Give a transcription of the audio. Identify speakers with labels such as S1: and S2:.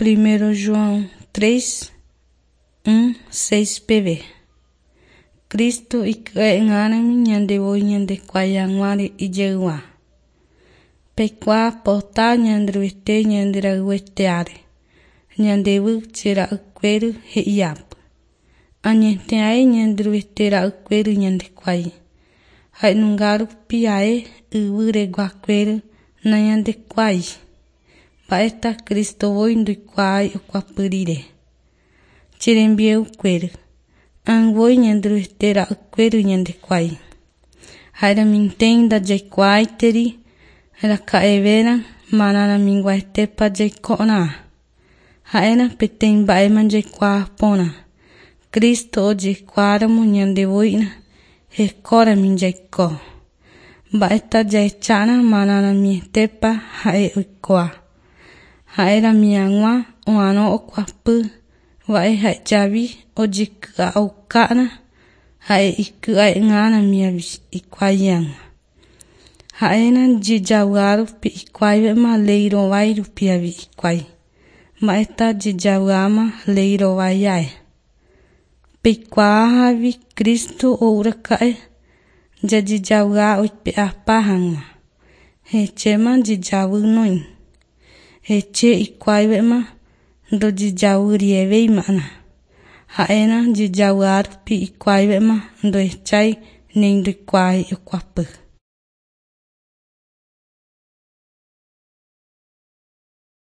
S1: Primero João 3, 1, 6 peve. Cristo iky'e'ỹrãmi ñandevoi ñandekuái hag̃uáre ijeygua. Peikuaa pota Ñanderuete ñanderayhueteáre, ñandévy che ra'ykuéry he'iápy. Añeteae Ñanderuete ra'ykuéry ñandekuái. Ha'enunga rupi ae yvy reguakuéry nañandekuái. Mba'éta Cristo voi ndoikuaái okuapy rire. Che rembiayhukuéry, ag̃voi Ñanderuete ra'ykuéry ñandekuái. Ha'eramínte ndajaikuaáiteri raka'evéra marãramiguaetépa jaiko'arã. Ha'éra peteĩ mba'éma jaikuaa porã. Cristo ojekuaáramo ñandevoína hekórami jaiko. Mba'éta jahechára marãramietépa ha'e oikuaa. Ha'érami hag̃ua oarõ okuapy va'e ha'ejavi ojeky'a'okára ha'e iky'ae'ỹrãmi hikuái hag̃ua. Ha'éra jejavy'árupi hikuáivéma léi rovái rupi avei hikuái. Mba'éta jejavy'áma léi rovái ae. Peikuaahávi Cristo oúraka'e jajejavy'a oipe'apa hag̃ua. Hechéma jejavy noĩ. Heche hikuáivéma ndojejavyrivéima'erã. Ha'éra jejavy'árupi hikuáivéma ndohechái ni ndoikuaái okuapy.